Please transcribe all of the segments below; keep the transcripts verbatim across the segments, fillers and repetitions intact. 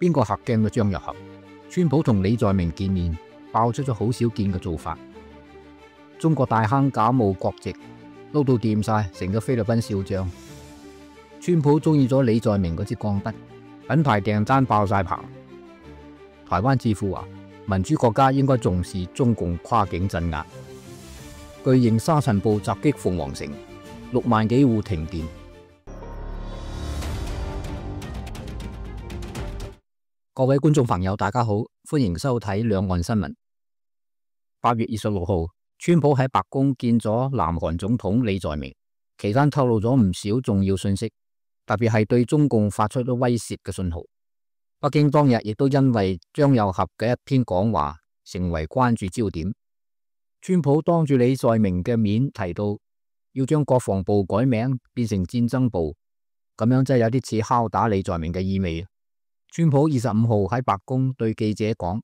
邊個客鏡都張若合。川普同李在明見面，爆出咗好少見嘅做法。中國大坑假冒國籍，撈到掂晒，成個菲律賓笑匠。川普中意咗李在明嗰支鋼筆，品牌訂單爆晒棚。台灣智庫話，民主國家應該重視中共跨境鎮壓。巨型沙塵暴襲擊鳳凰城，六萬幾戶停電。各位觀眾朋友，大家好，歡迎收睇兩岸新聞。八月二十六號，川普喺白宮見咗南韓總統李在明，期間透露咗唔少重要信息，特別係對中共發出咗威懾嘅信號。北京當日亦都因為張又俠嘅一篇講話，成為關注焦點。川普當住李在明嘅面提到，要將國防部改名變成戰爭部，咁樣真係有啲似敲打李在明嘅意味。川普二十五號喺白宮對記者講，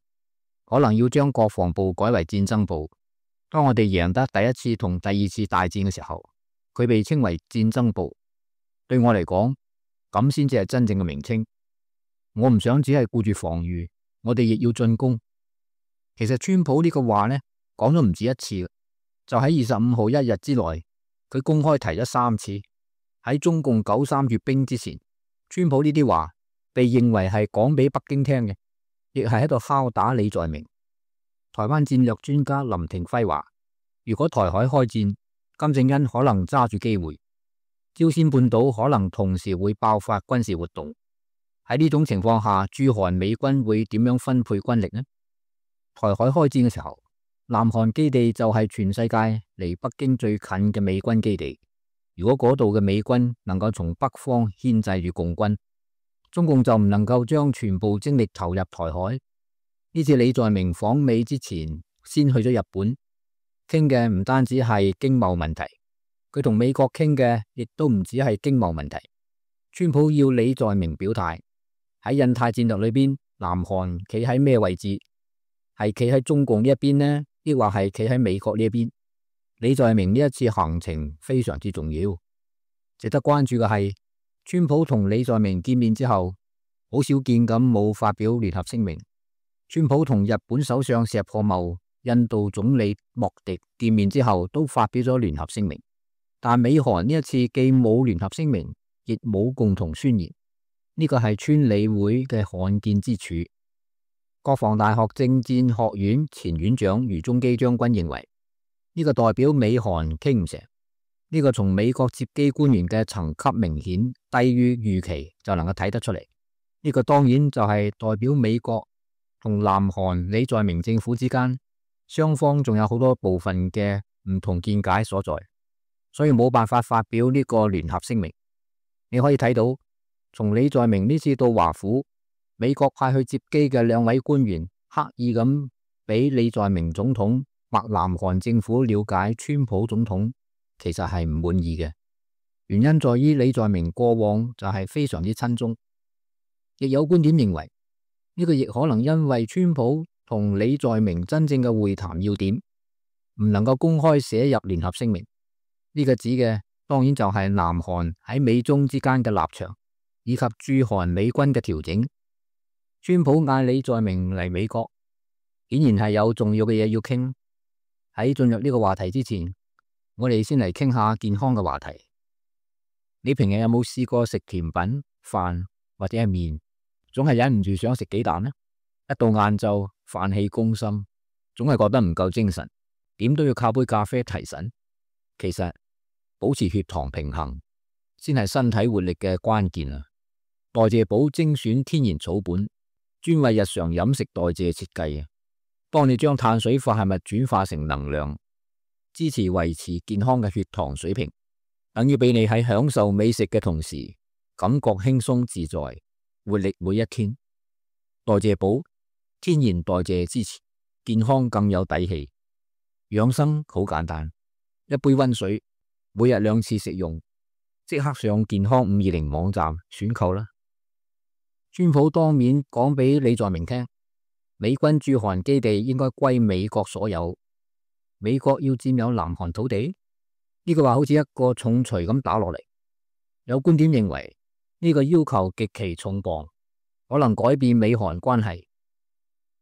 可能要將國防部改為戰爭部。當我哋贏得第一次同第二次大戰嘅時候，佢被稱為戰爭部。對我嚟講，咁先至係真正嘅名稱。我唔想只係顧住防禦，我哋亦要進攻。其實川普呢個話呢，講咗唔止一次，就喺二十五號一日之內，佢公開提咗三次。喺中共九三閱兵之前，川普呢啲話被認為係講俾北京聽嘅，亦係喺度敲打李在明。台灣戰略專家林廷輝話，如果台海開戰，金正恩可能揸住機會，朝鮮半島可能同時會爆發軍事活動。喺呢種情況下，駐韓美軍會點樣分配軍力呢？台海開戰嘅時候，南韓基地就係全世界離北京最近嘅美軍基地。如果嗰度嘅美軍能夠從北方牽制住共軍，中共就唔能夠將全部精力投入台海。呢次李在明訪美之前，先去咗日本，傾嘅唔單止係經貿問題，佢同美國傾嘅亦都唔止係經貿問題。川普要李在明表態，喺印太戰略裏邊，南韓企喺咩位置？係企喺中共呢一邊呢，抑或係企喺美國呢一邊？李在明呢一次行程非常之重要，值得關注嘅係，川普同李在明見面之後，好少見咁冇發表聯合聲明。川普同日本首相石破茂、印度總理莫迪見面之後，都發表咗聯合聲明。但美韓呢一次既冇聯合聲明，亦冇共同宣言，呢個係川理會嘅罕見之處。國防大學政戰學院前院長余中基將軍認為，呢個代表美韓傾唔成。呢個從美國接機官員嘅層級明顯低於預期就能夠睇得出嚟。呢個當然就係代表美國同南韓李在明政府之間，雙方仲有好多部分嘅唔同見解所在，所以冇辦法發表呢個聯合聲明。你可以睇到，從李在明呢次到華府，美國派去接機嘅兩位官員刻意咁俾李在明總統或南韓政府了解川普總統其實係唔滿意嘅。原因在於李在明過往就係非常之親中，亦有觀點認為呢個亦可能因為川普同李在明真正嘅會談要點唔能夠公開寫入聯合聲明。呢個指嘅當然就係南韓喺美中之間嘅立場，以及駐韓美軍嘅調整。川普嗌李在明嚟美國，顯然係有重要嘅嘢要傾。喺進入呢個話題之前，我哋先嚟傾下健康嘅話題。你平日有冇試過食甜品、飯或者係麵，總係忍唔住想食幾啖呢？一到晏晝，飯氣攻心，總係覺得唔夠精神，點都要靠杯咖啡提神。其實保持血糖平衡先係身體活力嘅關鍵啊！代謝寶精選天然草本，專為日常飲食代謝設計啊，幫你將碳水化合物轉化成能量，支持維持健康嘅血糖水平，等於俾你喺享受美食嘅同時，感覺輕鬆自在，活力每一天。代謝寶天然代謝支持，健康更有底氣。養生好簡單，一杯溫水，每日兩次食用，即刻上健康五二零網站選購啦。川普當面講俾李在明聽，美軍駐韓基地應該歸美國所有，美國要佔有南韓土地，呢個話好似一個重錘咁打落嚟。有觀點認為呢個要求極其重磅，可能改變美韓關係。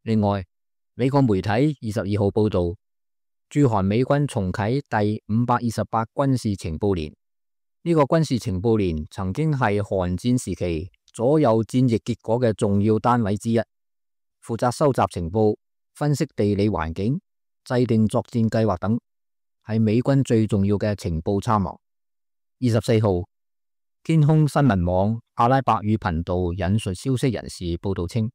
另外，美國媒體二十二號報道，駐韓美軍重啟第五百二十八軍事情報連。呢、這個軍事情報連曾經係韓戰時期左右戰役結果嘅重要單位之一，負責收集情報、分析地理環境、制定作戰計劃等，係美軍最重要嘅情報參謀。二十四號，天空新聞網阿拉伯語頻道引述消息人士報道稱，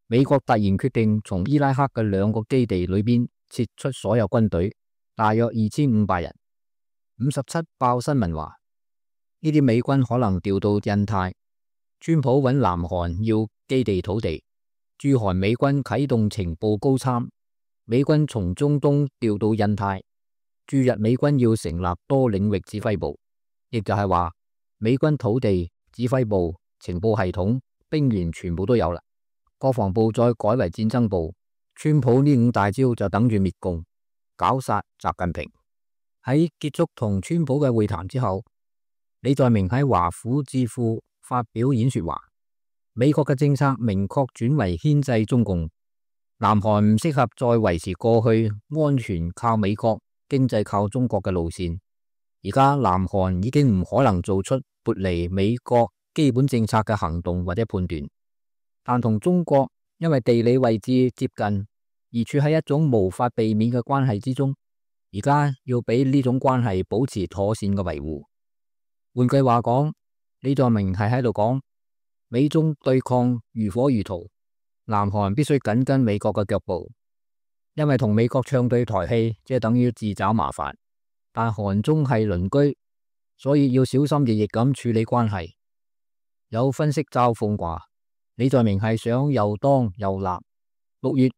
美國突然決定從伊拉克嘅兩個基地裏邊撤出所有軍隊，大約二千五百人。五十七爆新聞話，呢啲美軍可能調到印太。川普揾南韓要基地土地，駐韓美軍啟動情報高參，美軍從中東調到印太。駐日美軍要成立多領域指揮部，亦就係話美軍土地、指揮部、情報系統、兵員全部都有啦。國防部再改為戰爭部，川普呢五大招就等住滅共，搞殺習近平。喺結束同川普嘅會談之後，李在明喺華府智庫發表演說話，美國嘅政策明確轉為牽制中共，南韓唔適合再維持過去安全靠美國、經濟靠中國嘅路線。而家南韓已經唔可能做出撥離美國基本政策嘅行動或者判斷。但同中國因為地理位置接近而處喺一種無法避免嘅關係之中，而家要俾呢種關係保持妥善嘅維護。換句話講，李在明係喺度講，美中對抗如火如荼，南韓必須緊跟美國嘅腳步，因為同美國唱對台戲，即係等於自找麻煩。但韓中係鄰居，所以要小心翼翼咁處理關係。有分析嘲諷話，李在明係想又當又立。六月，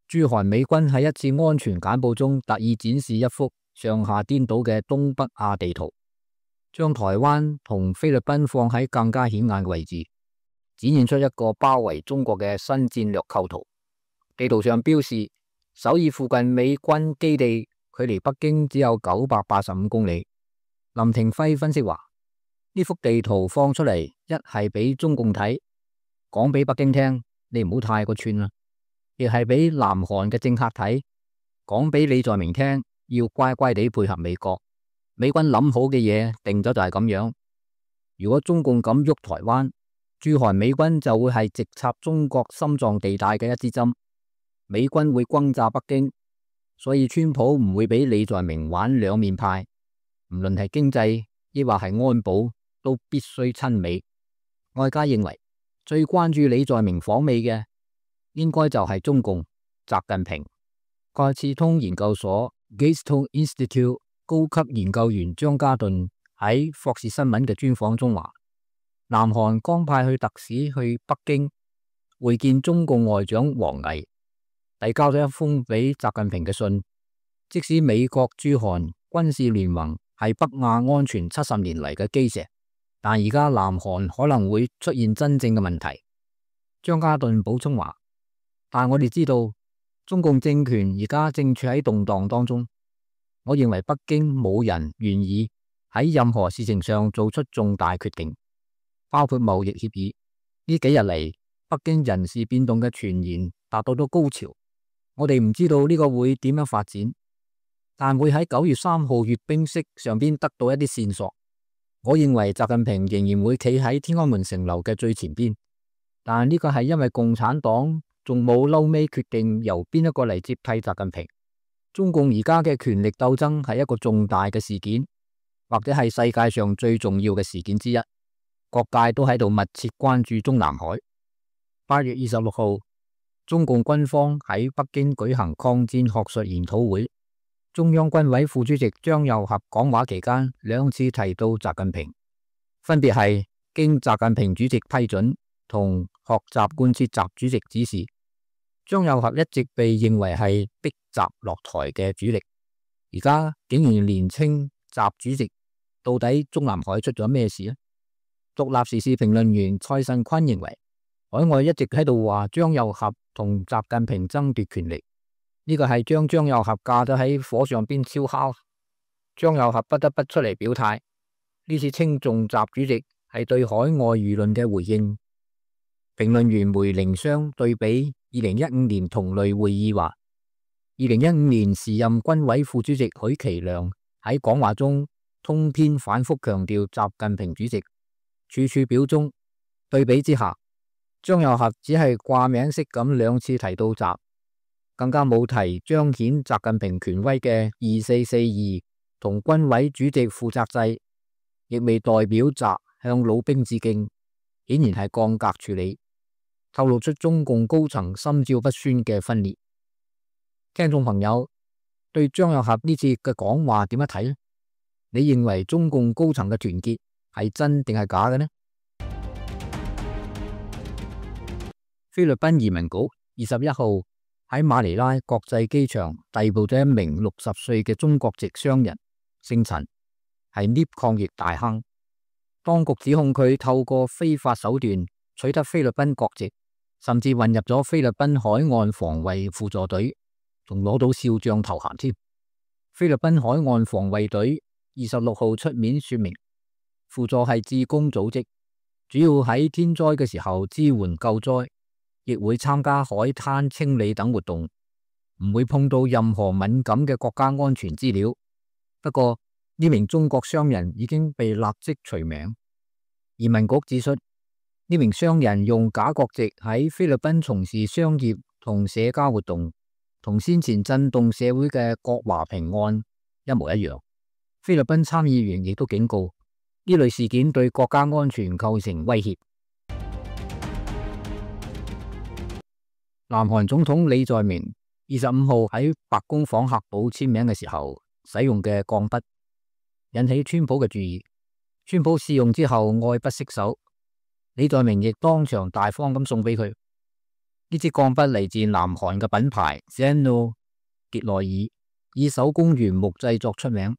駐韓美軍喺一次安全簡報中特意展示一幅上下顛倒嘅東北亞地圖，將台灣同菲律賓放喺更加顯眼嘅位置，展現出一個包圍中國嘅新戰略構圖。地圖上標示首爾附近美軍基地距離北京只有九百八十五公里。林廷輝分析話，呢幅地圖放出嚟，一係俾中共睇，講俾北京聽，你唔好太過串啦；亦係俾南韓嘅政客睇，講俾李在明聽，要乖乖地配合美國。美軍諗好嘅嘢定咗就係咁樣。如果中共敢喐台灣，駐韓美軍就會係直插中國心臟地帶嘅一支針，美軍會轟炸北京。所以川普唔會俾李在明玩兩面派，唔論係經濟抑或係安保，都必須親美。外界認為最關注李在明訪美嘅，應該就係中共習近平。蓋茨通研究所 Gates Institute 高級研究員張家頓喺霍士新聞嘅專訪中話，南韓剛派去特使去北京會見中共外長王毅，遞交咗一封俾習近平嘅信。即使美國駐韓軍事聯盟係北亞安全七十年嚟嘅基石，但而家南韓可能會出現真正嘅問題。張家頓補充話，但我哋知道中共政權而家正處喺動盪當中。我認為北京冇人願意喺任何事情上做出重大決定，包括貿易協議。呢幾日嚟，北京人事變動嘅傳言達到咗高潮。我哋唔知道呢個會點樣發展，但會喺九月三號閱兵式上邊得到一啲線索。我認為習近平仍然會企喺天安門城樓嘅最前邊，但呢個係因為共產黨仲冇嬲尾決定由邊一個嚟接替習近平。中共而家嘅權力鬥爭係一個重大嘅事件，或者係世界上最重要嘅事件之一。各界都喺度密切關注中南海。八月二十六號，中共軍方喺北京舉行抗戰學術研討會，中央軍委副主席張又俠講話期間兩次提到習近平，分別係經習近平主席批准同學習貫徹習主席指示。張又俠一直被認為係逼習落台嘅主力，而家竟然連稱習主席，到底中南海出咗咩事呢？獨立時事評論員蔡慎坤認為，海外一直喺度話張又俠同習近平爭奪權力，呢個係將張又俠架咗喺火上邊燒烤。張又俠不得不出嚟表態，呢次稱頌習主席係對海外輿論嘅回應。評論員梅凌霜對比二零一五年同類會議話，二零一五年時任軍委副主席許其亮喺講話中通篇反覆強調習近平主席，處處表忠。對比之下，張又俠只係掛名式咁兩次提到習，更加冇提彰顯習近平權威嘅二四四二同軍委主席負責制，亦未代表習向老兵致敬，顯然係降格處理，透露出中共高層心照不宣嘅分裂。聽眾朋友對張又俠呢次嘅講話點樣睇呢？你認為中共高層嘅團結係真定係假嘅呢？菲律賓移民局二十一號喺馬尼拉國際機場逮捕咗一名六十歲嘅中國籍商人，姓陳，係 lift 抗疫大亨。當局指控佢透過非法手段取得菲律賓國籍，甚至混入咗菲律賓海岸防衛輔助隊，仲攞到少將頭銜添。菲律賓海岸防衛隊二十六號出面說明，輔助係志工組織，主要喺天災嘅時候支援救災，亦會參加海灘清理等活動，唔會碰到任何敏感嘅國家安全資料。不過呢名中國商人已經被立即除名。移民局指出，呢名商人用假國籍喺菲律賓從事商業同社交活動，同先前震動社會嘅郭華平案一模一樣。菲律賓參議員亦都警告，呢類事件對國家安全構成威脅。南韓總統李在明二十五號喺白宮訪客簿簽名嘅時候使用嘅鋼筆，引起川普嘅注意。川普試用之後愛不釋手，李在明亦當場大方咁送俾佢。呢支鋼筆嚟自南韓嘅品牌 Zeno 傑內爾，以手工原木製作出名，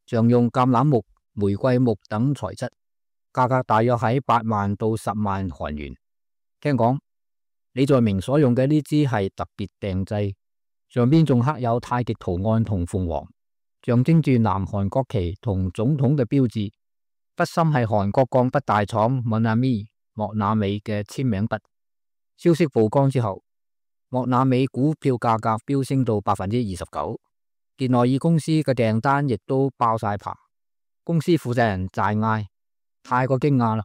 常用橄欖木、玫瑰木等材質，價格大約喺八萬到十萬韓元。聽講李在明所用嘅呢支係特別訂製，上邊仲刻有太極圖案同鳳凰，象徵住南韓國旗同總統嘅標誌。筆芯係韓國鋼筆大廠 Monami 莫那美嘅簽名筆。消息曝光之後，莫那美股票價格飆升到百分之二十九，傑內爾公司嘅訂單亦都爆晒棚。公司負責人大嗌：太過驚訝啦！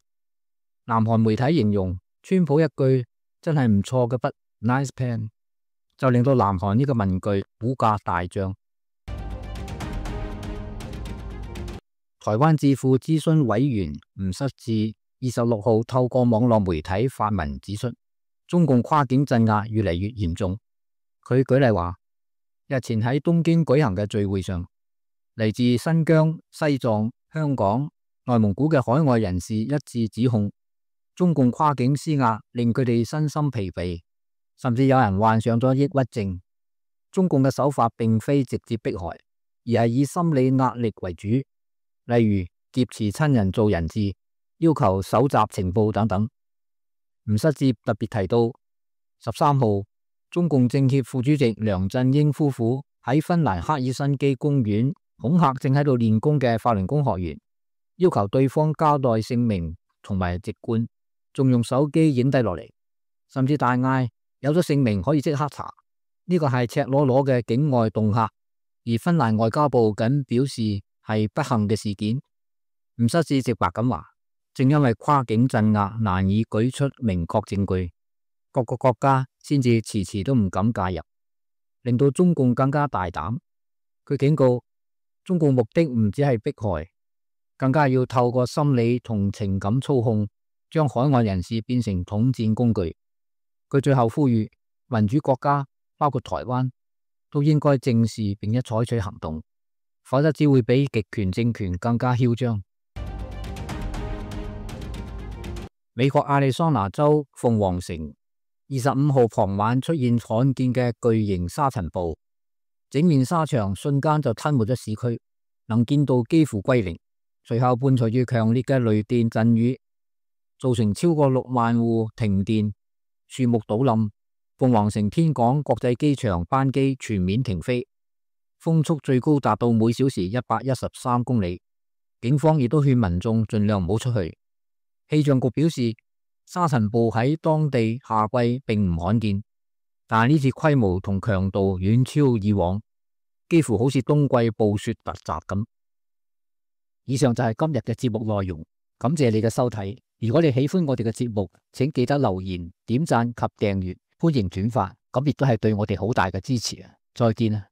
南韓媒體形容川普一句真係唔錯嘅筆 ，nice pen， 就令到南韓呢個文具股價大漲。台灣智庫諮詢委員吳失智二十六號透過網絡媒體發文指出，中共跨境鎮壓越嚟越嚴重。佢舉例話，日前喺東京舉行嘅聚會上，嚟自新疆、西藏、香港、內蒙古嘅海外人士一致指控，中共跨境施壓令佢哋身心疲憊，甚至有人患上咗抑鬱症。中共嘅手法並非直接迫害，而係以心理壓力為主，例如劫持親人做人質，要求搜集情報等等。吳失智特別提到，十三號中共政協副主席梁振英夫婦喺芬蘭赫爾辛基公園恐嚇正喺度練功嘅法輪功學員，要求對方交代姓名同埋籍貫，仲用手機影低落嚟，甚至大嗌有咗姓名可以即刻查。呢個係赤裸裸嘅境外恫嚇，而芬蘭外交部僅表示係不幸嘅事件。吳失智直白咁話，正因為跨境鎮壓難以舉出明確證據，各個國家先至遲遲都唔敢介入，令到中共更加大膽。佢警告，中共目的唔只係迫害，更加要透過心理同情感操控，將海外人士變成統戰工具。佢最後呼籲民主國家，包括台灣，都應該正視並且採取行動，否則只會比極權政權更加囂張。美國亞利桑那州鳳凰城二十五號傍晚出現罕見嘅巨型沙塵暴，整面沙場瞬間就吞沒咗市區，能見度幾乎歸零。隨後伴隨住強烈嘅雷電陣雨，造成超過六萬戶停電、樹木倒冧，鳳凰城天港國際機場班機全面停飛，風速最高達到每小時一百一十三公里。警方亦都勸民眾盡量唔好出去。氣象局表示，沙塵暴喺當地夏季並唔罕見，但係呢次規模同強度遠超以往，幾乎好似冬季暴雪突襲咁。以上就係今日嘅節目內容，感謝你嘅收睇。如果你喜歡我哋嘅節目，請記得留言、點讚及訂閱，歡迎轉發，咁亦都係對我哋好大嘅支持啊！再見啊！